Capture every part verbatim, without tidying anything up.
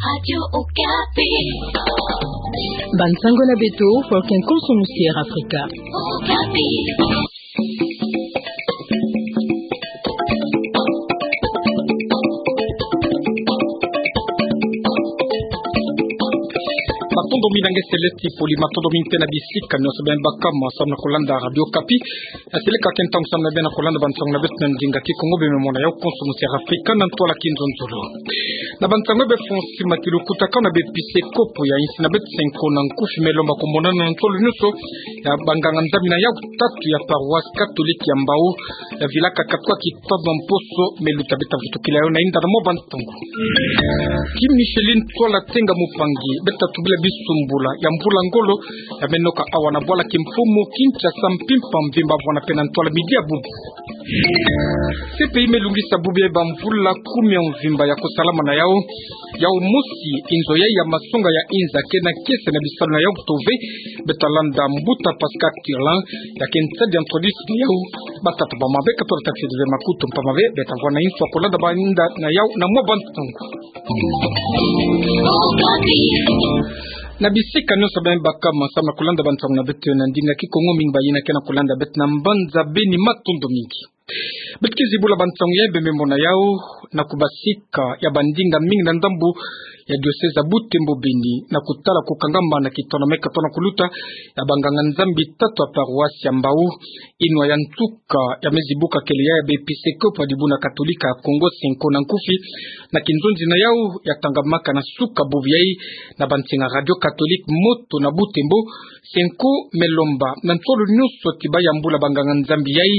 Radio Okapi. Bansango na beto, pour qu'un consommusier Africa. Okapi. Matondo mingi na nge Celeste Poli, matondo mingi mpe na bisika nyonso beno bakama samu na kulanda Radio Okapi. Asili ka kento nsangu na beno na kulanda bansango na beto na ndinga Kikongo, be me mona yau consommusier Africa na ntwala kinzonzolo. Na bansango be Francis Matilukuta, kau na b'episkopo ya insi na beto Cenco na Nkufi, me lomba kumonana na nsolo nyonso ya banganga-Nzambi na yau tatu ya paroisse catholique ya Mbao, ya vilaka katwa kitono mposo, me luta beta vutukila yau na inda na mwa bansango. Ki Micheline Ntwala Tenga Mupangi, beta tubila bisumbula ya mvula ngolo ya menoka awa na bwala kimfumu Kinshasa, mpimpa mvimba, vwana pena ntwala midi ya bubu. C P I me lungisa bubu ya bamvula kumi ya mvimba ya kusalama na yau. Yau mosi, inzo yai ya masonga ya inza kena kiese na bisalu na yau tove. Beta landa mbuta Pascal Tirlan, ya ke nsadi ya ntwadisi na yau. Batata bamama, beka tolo tafio de ve makutu mpama ve, beta vwa na inso ya kulanda bainda na yau na mwa bansango. Na bisika nyonso beno bakama samu na kulanda bansango na beto na ndinga Kikongo, mingi bayina ke na kulanda beto na mbanza Beni, matondo mingi. Beto ke zibula bansango ya be me mona yau na kubasika ya bandinga mingi na ndambu ya diocèse ya Butembo Beni, na kutala kukangama na kitono me katona kuluta ya banganga-Nzambi tatu ya paroisse ya Mbao. Inwa ya nsuka ya me zibuka kele ya, ya b'episkopo ya dibuna Katolika ya Kongo, Cenco na Nkufi, na kinzonzi na yau ya tangamaka na suka bubu yai na bansinga Radio Catholique Moto na Butembo. Cenco me lomba na nsolo nyonso ti bayambula banganga-Nzambi yai.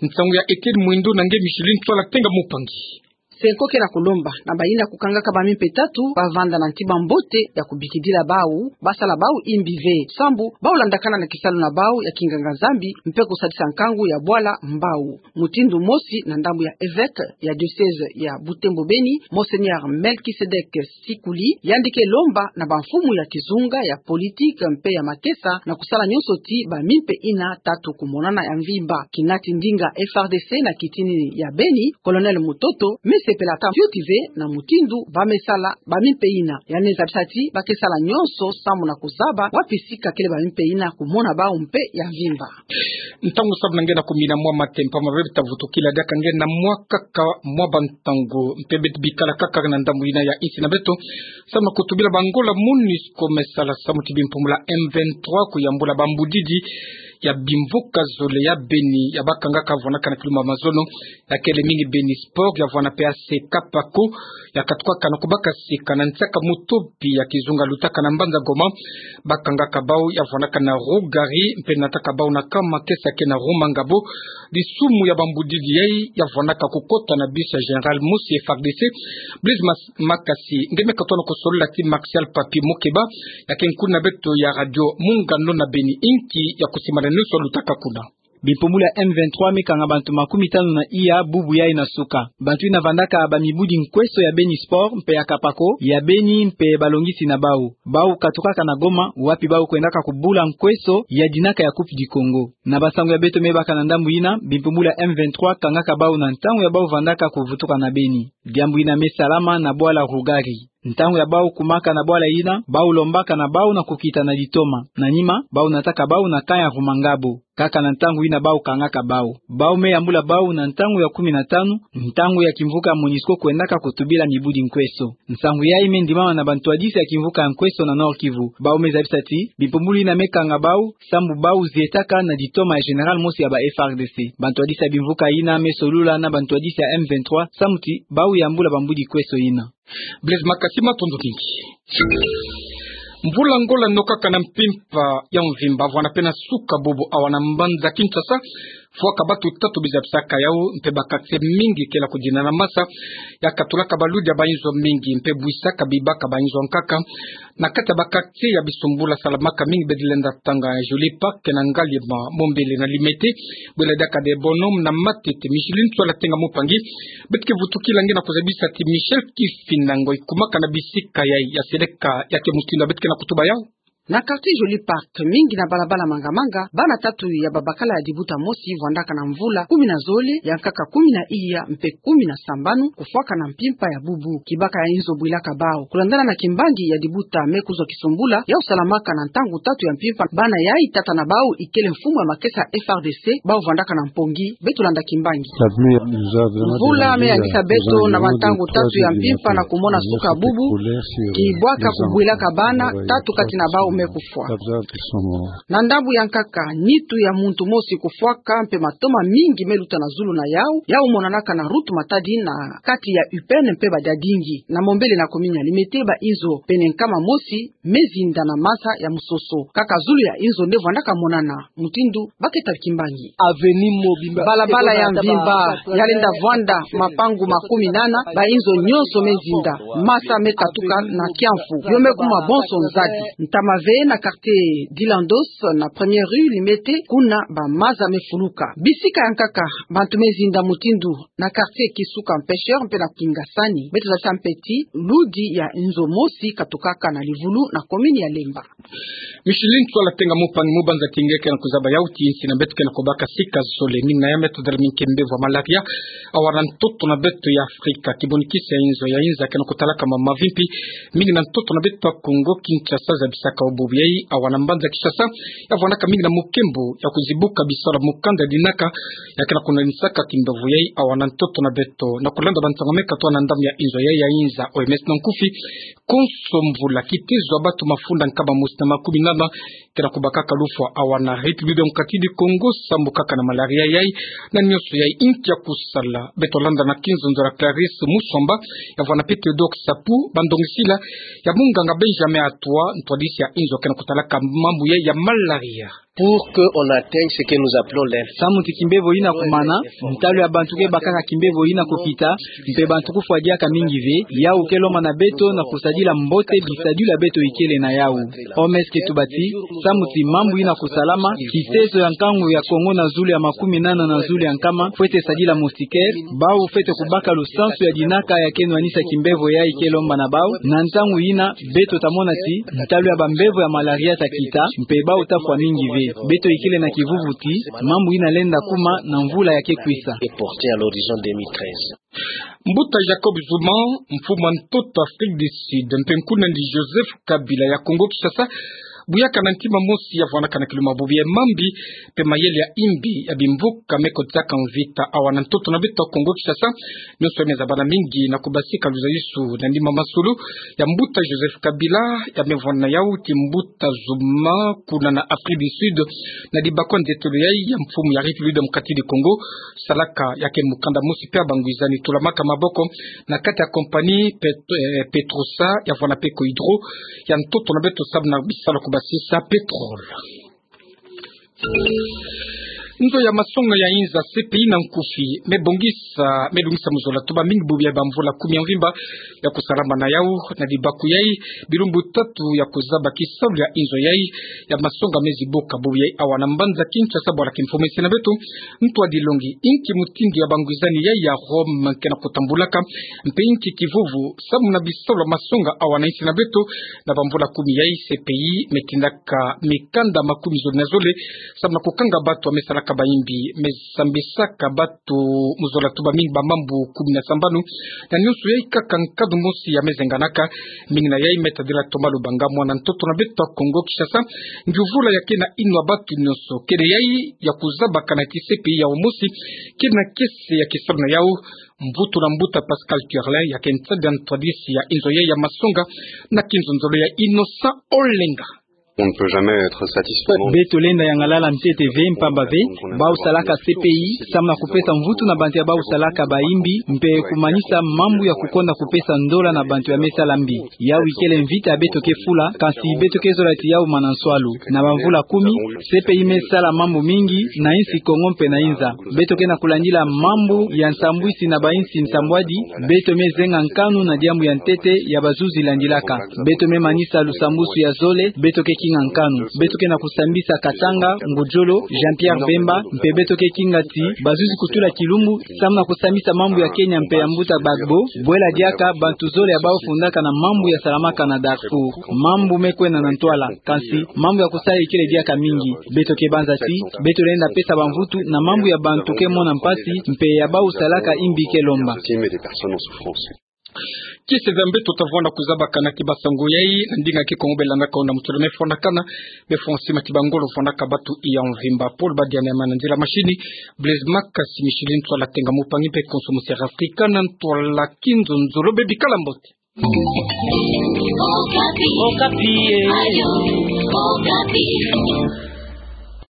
Nsangu ya Etienne Mwindo na nge Micheline Ntwala Tenga Mupangi. Cenco ke na kulomba na bayina kukangaka bamimpe tatu bavanda na ntima mbote ya kubikidila bau, basala bau imbi ve, sambu bau landakana na kisalu na bau ya kinganga-Nzambi mpe kusadisa nkangu ya bwala Mbao. Mutindu mosi, na ndambu ya evêque ya diocèse ya Butembo Beni, Monseigneur Melchisedek Sikuli, yandi ke lomba na bamfumu ya kizunga, ya politique mpe ya makesa na kusala nyonso ti bamimpe ina tatu kumonana ya mvimba. Kinati ndinga F R D C na kitini ya Beni, Colonel Mutoto, me sepela ta fioti ve na mutindu ba me sala bamimpe ina. Yandi zabisa ti ba ke sala nyonso samu na kuzaba wapi sika kele bamimpe ina kumona bau mpe ya mvimba. Ntangu samu na nge na kumi na mwa mate mpama ve, beta vutukila diaka nge na mwa kaka mwa bantangu, mpe beta bikala kaka na ndambu ina ya insi na beto, samu na kutubila ba Angola MONUSCO me sala samu ti bimpumu la M vingt-trois kuyambula bambudidi ya bimvuka zole ya Beni, ya bakangaka vwanaka na kilumbu ya mazono, ya kele mingi Beni Sport, ya vwana pe ya Sekapako, ya katukaka na kubaka sika na nsiaka mutopi ya kizunga lutaka na mbanza Goma. Bakangaka bau ya vwanaka na Rougari, mpe nataka bau na kama kesa ke na Rumangabo. Disumu ya bambudidi yai ya vwanaka kukota na bisi ya Général mosi F R D C. Blaise Mas-, Makasi, nge me katona kusolola ti Martial Papi Mukeba, ya ke nkuni na beto ya Radio Mungano na Beni, inki ya kusimbana nyonso lutaka kuna. Bimpumu la M vingt-trois me kanga bantu makumi tanu na iya bubu yai na suka. Bantu ina vandaka bamibudi nkweso ya Beni Sport mpe ya Kapako, ya Beni mpe balongisi na bau. Bau katukaka na Goma, wapi bau kwendaka kubula nkweso ya dinaka ya Coupe du Congo. Na bansangu ya beto me baka na ndambu ina, bimpumu la M vingt-trois kangaka bau na ntangu ya bau vandaka kuvutuka na Beni. Diambu ina me salama na bwala Rougari. Ntangu ya bau kumaka na bwala ina, bau lombaka na bau na kukita na ditoma. Na nima, bau nataka bau na camp ya Rumangabo. Kaka na ntangu ina bau kangaka bau. Bau me yambula bau na ntangu ya kumi na tanu, ntangu ya kimvuka MONUSCO kwendaka kutubila mibudi nkweso. Nsangu yai me ndimama na bantwadisi ya kimvuka ya nkweso na Nord-Kivu. Bau me zabisa ti bimpumbulu ina me kanga bau, sambu bau zietaka na ditoma ya Général mosi ya ba F R D C. Bantwadisi ya bimvuka ina me solula na bantwadisi ya M vingt-trois, samu ti bau yambula bambudi nkweso ina. Blaise Makasi, matondo mingi. Mvula ngolo nokaka na mpimpa ya mvimba vwana pe na suka bubu awa na mbanza Kinshasa, fwaka batu tatu bizapisaka yau, mpe ba quartier mingi kela kudina na masa, ya katulaka baludi ya bainzo mingi, mpe bwisaka bibaka bainzo nkaka. Na kati ya ba quartier ya bisumbula salamaka mingi bedi lenda tanga, Joly Park, na Ngaliema, Mombele na Limete, bwela diaka de Bonhomme na Matete. Micheline Ntwala Tenga Mupangi, beto ke vutukila nge na kuzabisa ti Michel Kifinda ngoi kumaka na bisika yai, ya seleka ya ke mutindu beto ke na kutuba yau. Na quartier Joli Park, mingi na balabala Manga-Manga, bana tatu ya babakala ya dibuta mosi vwandaka na mvula kumi na zole, ya nkaka kumi na iya mpe kumi na sambanu, kufwaka na mpimpa ya bubu. Kibaka ya inzo bwilaka bau. Kulandana na kimbangi ya dibuta Me Kuzwa Kisumbula, yau salamaka na ntangu tatu ya mpimpa, bana yai tata na bau ikele mfumu ya makesa F R D C, bau vwandaka na mpongi, beto landa kimbangi. Mvula me yangisa beto na bantangu tatu ya mpimpa na kumona suka bubu, kibwaka kubwilaka bana, tatu kati na bau me kufwa. Na ndambu ya nkaka, nitu ya muntu mosi kufwaka mpe matoma mingi me luta na zulu na yau, yau monanaka na route Matadi na kati ya U P N mpe Badiadingi. Na mombele na commune ya Limete, ba inzo pene nkama mosi me zinda na masa ya musoso. Kaka zulu ya inzo nde vwandaka monana, mutindu baketa kimbangi. Balabala ya mvimba yalenda vwanda mapangu makumi nana, ba inzo nyonso me zinda, masa me katuka na kiamfu, yo me kuma bonso nzadi. Ntama ve na quartier Dilandos, na première rue Limete, kuna ba maza me fuluka. Bisika ya nkaka, bantu me zinda mutindu na quartier Kisuka Pêcheur mpe na Kingasani. Beto za tia mpeti, ludi ya inzo mosi katukaka na Livulu na commune ya Lemba. Micheline Tswala Tenga, mupani mubanza ti nge ke na kuzaba yau ti insi na beto ke na kubaka sika zole, mingi na ya me tadala mingi ke mbevo ya malaria awa na ntoto na beto ya Afrika. Kibuni kisi ya inzo ya inza ke na kutalaka mama mavimpi, mingi na ntoto na beto ya Kongo Kinshasa, zabisaka o bubu yai awa na mbanza Kinshasa, ya vwandaka mingi na mukembo ya kuzibuka bisalu ya mukanda ya dinaka, ya ke na kunanisaka kimbevo yai awa na ntoto na beto. Na kulanda bansango me katwa na ndambu ya inzo yai ya inza, O M S na nkufi, konso mvula, kitezo ya batu mafunda nkama mosi na makumi nana ke na kubakaka lufwa awa na République Démocratique du Congo, sambukaka na malaria yai. Na nyonso yai, inki ya kusala? Beto landa na kinzonzo ya Clarisse Musomba, ya vwana pe Théodore Sapu, bandongisila ya munganga Benjamin Atwa, ntwadisi ya inzo ke na kutalaka mambu yai ya malaria. Pour que on atteigne ce que nous appelons l'info- Samu ti kimbevo yina kumana, ntalu ya bantu ke bakaka kimbevo yina kukita, mpe bantu kufwa diaka mingi ve, yau ke lomba na beto na kusadila mbote bisadilu ya beto ikele na yau. O M S ke tuba ti, samu ti mambu yina kusalama, kitezo ya nkangu ya Kongo na zulu ya makumi nana na zulu ya nkama fwete sadila moustiquaire, bau fwete kubaka lusansu ya dinaka ya ke nwanisa kimbevo yai ke lomba na bau. Na ntangu yina, beto ta mona ti ntalu ya bambevo ya malaria ta kita, mpe bau ta fwa mingi ve. Beto ikele na kivuvu ti mambu yina lenda kuma na mvula ya ke kwisa. Est porté à l'horizon deux mille treize. Mbuta Jacob Zuma, mfumu a ntoto Afrique du Sud, mpe nkundi Joseph Kabila ya Congo Kinshasa, buyaka na ntima mosi ya vwanaka na kiluma bubu ya mambi mpe mayele ya imbi ya bimvuka me kotaka mvita awa na ntoto na beto Congo Kinshasa. Nyonso ya me zabana mingi na kubasika luzayusu na nima masolo ya mbuta Joseph Kabila, ya me vwana yau ti mbuta Zuma kuna na Afrique du Sud, na dibakwa nzetolo yai ya mfumu ya République Démocratique du Congo, salaka ya ke mukanda mosi mpe ya bangwizani tulamaka maboko na kati ya compagnie Pet-, eh, Petrosa, ya vwana pe Cohydro, ya ntoto na beto samu na bisalu ya kubasisa pétrole. Nzo ya masonga ya inza C P I na nkufi, me bongisa, me lungisa muzola tuba mingi bubu ya bamvula kumi ya mvimba ya kusalama na yau. Na dibaku yai, bilumbu tatu ya kuzaba kisalu ya inzo yai ya masonga me zibuka bubu yai awa na mbanza Kinshasa. Bwala kimfumu esi na beto, ntwadilongi, inki mutindu ya bangwizani yai ya Rome ke na kutambulaka, mpe inki kivuvu samu na bisalu ya masonga awa na insi na beto? Na bamvula kumi yai, C P I me tindaka mikanda makumi zole na zole samu na kukanga batu ya me salaka baimbi, me sambisaka batu muzola tuba mingi bamambu kumi na sambanu. Na nyonso yai kaka nkadu mosi ya me zenganaka. Mingi na yai me tadila Thomas Lubanga, mwana ntoto na beto Congo Kinshasa. Ngiuvula ya ke na inwa batu nyonso, kele yai ya kuzabaka na ti C P I yau mosi ke na kiese ya kisalu na yau. Mvutu na mbuta Pascal Turlin, ya ke nsadi ya ntwadisi ya inzo yai ya masonga, na kinzonzolo ya Innocent Olenga. On ne peut jamais être satisfait. Beto lenda yangalala ntete ve, mpamba ve bau salaka C P I samu na kupesa mvutu na bantu ya bau salaka baimbi, mpe kumanisa mambu ya kukonda kupesa ndola na bantu ya me sala mbi. Yau ikele mvita ya beto ke fula, kansi beto ke zola ti yau mana nswalu. Na bamvula kumi, C P I me sala mambu mingi na insi Congo mpe na inza. Beto ke na kulandila mambu ya nsambwisi na bainsi nsambwadi. Beto me zenga nkanu na diambu ya ntete ya bazuzi landilaka. Beto me manisa lusambwasu ya zole. Beto ke Nga nkanu, beto ke na kusambisa Katanga, Ngudjolo, Jean-Pierre Bemba, mpe beto ke kinga ti bazuzi kutula kilumbu samu na kusambisa mambu ya Kenya mpe ya Mbuta Gbagbo. Bwela diaka bantu zole ya bawu fundaka na mambu ya salamaka na Darfour. Mambu me kwenda na ntwala, kansi mambu ya kusala ikele diaka mingi. Beto ke banza ti beto lenda pesa bamvutu na mambu ya bantu ke mona mpasi mpe ya bawu salaka imbi ke lomba. Kiese za mbeto tavwanda kuzabakana ki basango yai na ndinga ke Kongo belandaka ona mutula me fwanakana, be François Matiba Ngolo fwanaka batu ya mvimba, Paul Badiana ya mana nzila mashini, Blaise Makasi, Micheline Ntwala Tenga Mupangi mpe Konso Musiere Afrika na ntwala Kinzonzolo, bebi kala mbote. Okapi. Okapi, eh. Ayo, Okapi.